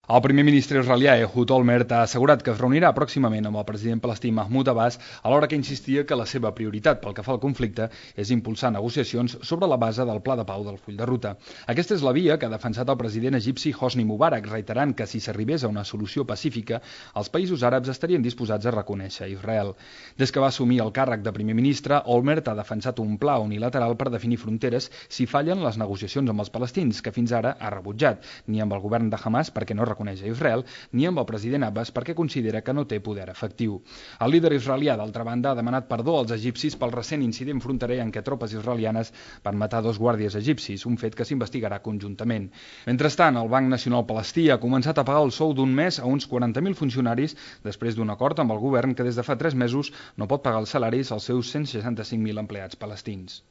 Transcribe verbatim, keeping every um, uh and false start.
El primer ministre israelià Ehud Olmert ha assegurat que es reunirà pròximament amb el president palestí Mahmoud Abbas, alhora que insistia que la seva prioritat pel que fa al conflicte és impulsar negociacions sobre la base del pla de pau del full de ruta. Aquesta és la via que ha defensat el president egipci Hosni Mubarak, reiterant que si s'arribés a una solució pacífica, els països àrabs estarien disposats a reconèixer Israel. Des que va assumir el càrrec de primer ministre, Olmert ha defensat un pla unilateral per definir fronteres si fallen les negociacions amb els palestins, que fins ara ha rebutjat, ni amb el govern de Hamas perquè no reconeix a Israel, ni amb el president Abbas perquè considera que no té poder efectiu. El líder israelià, d'altra banda, ha demanat perdó als egipcis pel recent incident fronterer en què tropes israelianes van matar dos guàrdies egipcis, un fet que s'investigarà conjuntament. Mentrestant, el Banc Nacional Palestí ha començat a pagar el sou d'un mes a uns quaranta mil funcionaris després d'un acord amb el govern que des de fa tres mesos no pot pagar els salaris als seus cent seixanta-cinc mil empleats palestins.